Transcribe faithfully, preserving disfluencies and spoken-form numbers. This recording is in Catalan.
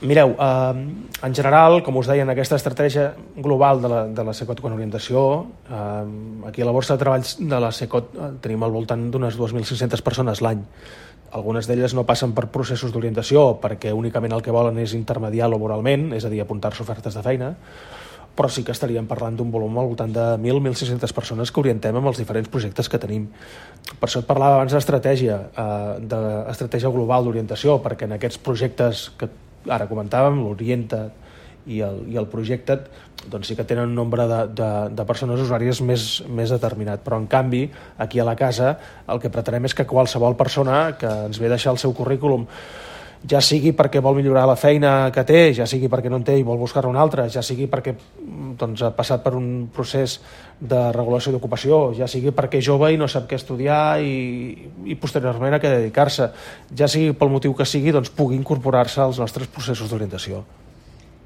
Mireu, eh, en general, com us deia, en aquesta estratègia global de la, de la Cecot con orientació, eh, aquí a la borsa de treballs de la Cecot eh, tenim al voltant d'unes dues mil cinc-centes persones l'any. Algunes d'elles no passen per processos d'orientació perquè únicament el que volen és intermediar laboralment, és a dir, apuntar-se ofertes de feina, però sí que estaríem parlant d'un volum al voltant de mil a mil cinc-centes persones que orientem amb els diferents projectes que tenim. Per això et parlava abans d'estratègia, eh, d'estratègia global d'orientació, perquè en aquests projectes que ara comentàvem, l'Orienta't i el, i el Projecta't, doncs sí que tenen un nombre de, de, de persones usuàries més, més determinat. Però, en canvi, aquí a la casa el que pretenem és que qualsevol persona que ens ve a deixar el seu currículum, ja sigui perquè vol millorar la feina que té, ja sigui perquè no en té i vol buscar-ne una altra, ja sigui perquè doncs, ha passat per un procés de regulació d'ocupació, ja sigui perquè és jove i no sap què estudiar i, i posteriorment a què dedicar-se, ja sigui pel motiu que sigui, doncs pugui incorporar-se als nostres processos d'orientació.